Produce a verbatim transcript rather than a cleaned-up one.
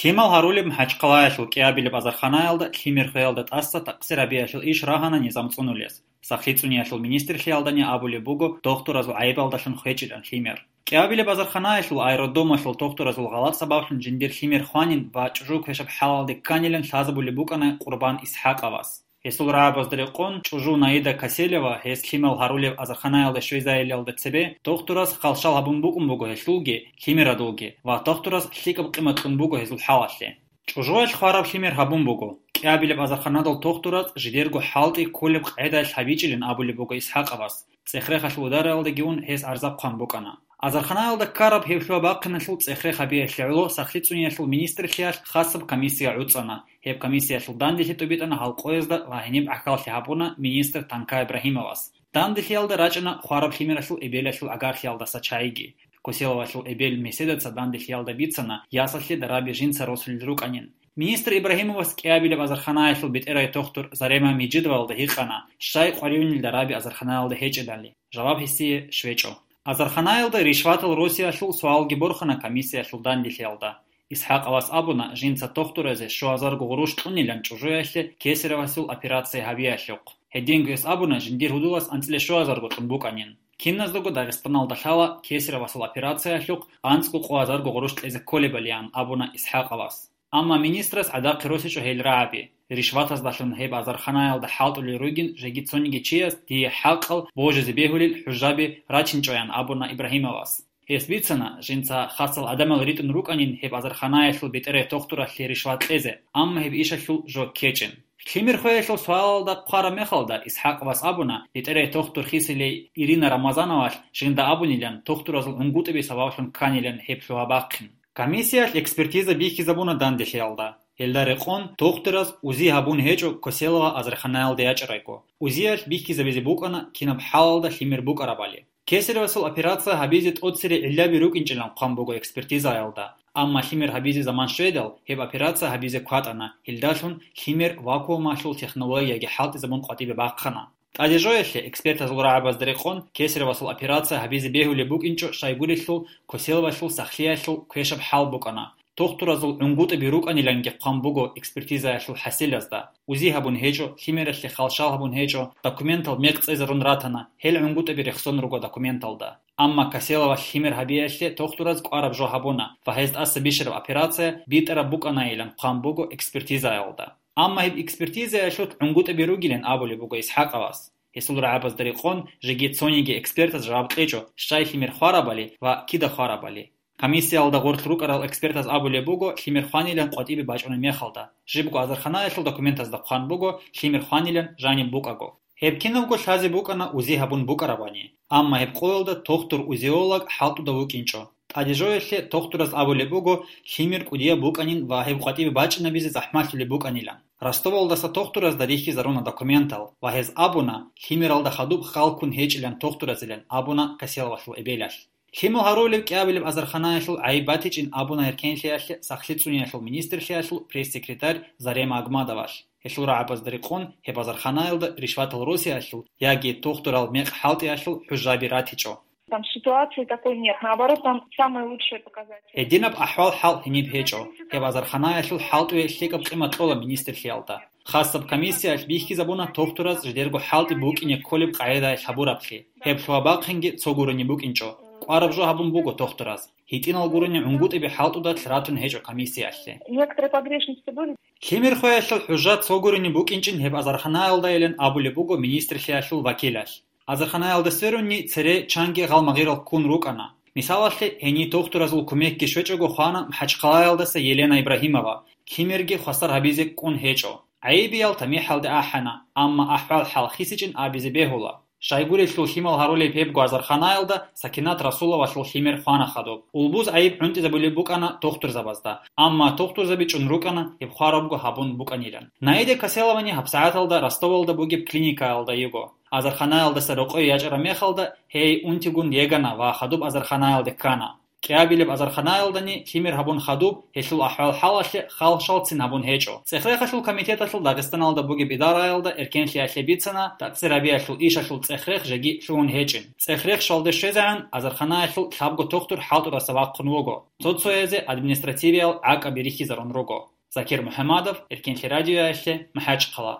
Лъимал гьарулеб МахӀачхъалаялъул кӀиабилеб азарханаялда лъимер хвеялда тӀаса такъсир гьабиялъул иш рагьана низам цӀунулес. СахлъицӀуниялъул министрлъиялдани абулеб буго дохтуразул гӀайибалдалъун хвечӀилан лъимер. КӀиабилеб азарханаялъул аэродромалъул дохтуразул гъалатӀ сабаблъун жиндир лъимер хванин ва чӀужу квешаб хӀалалде кканилан лъазабулеб букӀана Къурбан ИсхӀакъовас. Гьесул рагӀабазда рекъон, чӀужу Наида Каселева гьес лъимал гьарулеб азарханаялда щвезайилалда цебе дохтурас хъалщал гьабун букӀун буго гьелъулги, лъимерадулги, ва дохтурас лъикӀаб къимат кьун буго гьезул хӀалалъе. ЧӀужуялъ хвараб лъимер гьабун буго. КӀиабилеб азарханадал дохтурас жидерго хӀалтӀи кколеб къагӀидаялъ гьабичӀилин абулеб буго ИсхӀакъовас. ЦӀехрехалъул удараялдагивун гьес арза хъван букӀана. Азарханаялда ккараб гьеб лъугьа-бахъиналъул цӀехрех гьабиялъе гӀоло СахлъицӀуниялъул министрлъиялъ хасаб комиссия гӀуцӀана. Гьеб комиссиялъул данделъи тӀубитӀана гьалкъоязда ва гьениб гӀахьаллъи гьабуна министр Танка Ибрагьимовас. Данделъиялда рачӀана хвараб лъимералъул эбелалъул гӀагарлъиялдаса чагӀиги. Коселовалъул эбел Меседаца данделъиялда бицана ясалъе дараби жинца росулел рукӀанин. Министр Ибрагьимовас кӀиабилеб азарханаялъул бетӀерай дохтур Зарема Мижидовалда гьикъана, щай къваригӀунел дараби азарханаялда гьечӀелали. Жаваб гьесие щвечӀо. Азарханаялда ришватал росиялъул суалги борхана комиссиялъул данделъиялда. ИсхӀакъовас абуна, жинца дохтуразе щуазарго гъурущ кьунилан чӀужуялъе кесаревасул операция гьабиялъухъ. Гьединго гьес абуна, жиндир гьудулас анцӀила щуазарго кьун букӀанин. Киназдаго Дагъистаналда лъала кесаревасул операциялъухъ анцӀго къоазарго гъурущ кьезе кколебалиан, абуна ИсхӀакъовас. Амма министрас гӀадахъе росичӀо гьел рагӀаби. Ришватаздалъун гьеб азарханаялда хӀалтӀулел ругин жеги цониги чияс дие хӀакъал божизе бегьулел хӀужаби рачинчӀоян, абуна Ибрагьимовас. Гьес бицана, жинца хасал гӀадамал ритӀун рукӀанин гьеб азарханаялъул бетӀерай дохтуралъе ришват кьезе, амма гьеб ишалъул жо ккечӀин. Лъимер хвеялъул суалалда хъвараб мехалда, ИсхӀакъовас абуна, бетӀерай дохтур хисилей Ирина Рамазановалъ жинда абунилан, дохтуразул гӀунгутӀиби сабаблъун кканилан гьеб лъугьа-бахъин. Комиссиялъ экспертиза бихьизабуна данделъиялда. Гьелда рекъон, дохтураз узи гьабун гьечӀо Коселова азарханаялда ячӀарайго. Узиялъ бихьизабизе букӀана кинаб хӀалалда лъимер букӀарабали. Кесаревасул операция гьабизе тӀоцере гӀиллаби рукӀинчӀилан хъван буго экспертизаялда, амма лъимер гьабизе заман щведал, гьеб операция гьабизе кватӀана, гьелдалъун лъимер вакуумалъул технологияги хӀалтӀизабун къватӀибе бахъана. ТӀадежоялъе экспертазул рагӀабазда рекъон, кесаревасул операция гьабизе бегьулеб букӀинчӀо щайгурелъул Коселовалъул сахлъиялъул квешаб хӀал букӀана. Дохтуразул гӀунгутӀаби рукӀаниланги хъван буго экспертизаялъул хӀасилазда. Узи гьабун гьечӀо, лъимералъе халщал гьабун гьечӀо, документал мекъ цӀезарун ратана, гьел гӀунгутӀаби рехсон руго документалда. Амма Каселовалъ лъимер гьабиялъе дохтураз кӀвараб жо гьабуна ва гьез тӀаса бищараб операция битӀараб букӀанайилан хъван буго экспертизаялда. Амма гьеб экспертизаялъулъ гӀунгутӀаби ругилан абулеб буго ИсхӀакъовас. Гьесул рагӀабазда рекъон, жеги цониги экспертаз жаваб кьечӀо, щай лъимер хварабали ва кида хварабали. Комиссиялда гъорлъ рукӀарал экспертаз абулеб буго, лъимер хванилан къватӀибе бачӀунеб мехалда. Жибго азарханаялъул документазда хъван буго, лъимер хванилан жаниб букӀаго. Гьеб кинабго лъазе букӀана узи гьабун букӀарабани. Амма гьеб къоялда дохтур-узеолог хӀалтӀуда вукӀинчӀо. ТӀадежоялъе дохтураз абулеб буго, лъимер кӀудияб букӀанин ва гьеб къватӀибе бачӀинабизе захӀмалъулеб букӀанилан. Ростовалдаса дохтуразда рихьизаруна документал ва гьез абуна, лъимералда хадуб халккун гьечӀилан дохтуразилан абуна Каселовалъул эбелалъ. Лъимал гьарулеб кӀиабилеб азарханаялъул гӀайиб батичӀин абуна гьеркенлъиялъе сахлъицӀуниялъул министрлъиялъул пресс-секретарь Зарема Агмадовалъ. Гьелъул рагӀабазда рекъон гьеб азарханаялда ришватал росиялъул яги дохтурал мекъ хӀалтӀиялъул хӀужаби ратичӀо. Там ситуации такой нет. Наоборот, там самые лучшие показатели. Гьединаб ахӀвал-хӀал гьениб гьечӀо. Гьеб азарханаялъул хӀалтӀуе лъикӀаб къимат кьола министрлъиялда. Хасаб комиссиялъ бихьизабуна дохтураз жидерго хӀалтӀи букӀине кколеб къагӀидаялъ гьабураблъи. Гьеб лъугьа-бахъинги цо гурони букӀинчӀо. КӀвараб жо гьабун буго дохтураз. ГьитӀинал гурони гӀунгутӀиби хӀалтӀудалъ ратун гьечӀо комиссиялъе. Некоторые погрешности были. Лъимер хвеялъул хӀужа цо гурони букӀинчӀин гьеб азарханаялдайилан абулеб буго министрлъиялъул вакилалъ. Азарханаялда сверунни цере чанги гъалмагъирал ккун рукӀана. Мисалалъе, гьенир дохтуразул кумекги щвечӀого хвана МахӀачхъалаялдаса Елена Ибрагьимова, лъимерги хвасар гьабизе кӀун гьечӀо. ГӀайибиял тамихӀалде ахӀана, амма ахӀвал-хӀал хисичӀин абизе бегьула. Щайгурелъул лъимал гьарулеб гьебго азарханаялда Сакинат Расуловалъул лъимер хвана хадуб. Улбуз гӀайиб гӀунтӀизабулеб букӀана дохтурзабазда, амма дохтурзаби чӀун рукӀана гьеб хварабго гьабун букӀанилан. Наида Каселовани гьабсагӀаталда Ростовалда бугеб клиникаялда йиго. Азарханаялдаса рокъое ячӀараб мехалда, гьей унтигун йегана ва хадуб азарханаялде ккана. КӀиабилеб азарханаялдани лъимер гьабун хадуб, гьелъул ахӀвал-хӀалалъе халшалцин гьабун гьечӀо. ЦӀех-рехалъул комитеталъул Дагъистаналда бугеб идараялда эркенлъиялъе бицана, тӀакӀсирабиялъул ишалъул цӀех-рех жеги лъугьун гьечӀин. ЦӀех-рех щвалде щвезегӀан азарханаялъул лъабго тохтур хӀалтӀураса вахъун вуго. Цо-цоязе административиял гӀакӀаби рихьизарун руго. Закир МухӀамадов, Эркенлъи радиоялъе, МахӀачхъала.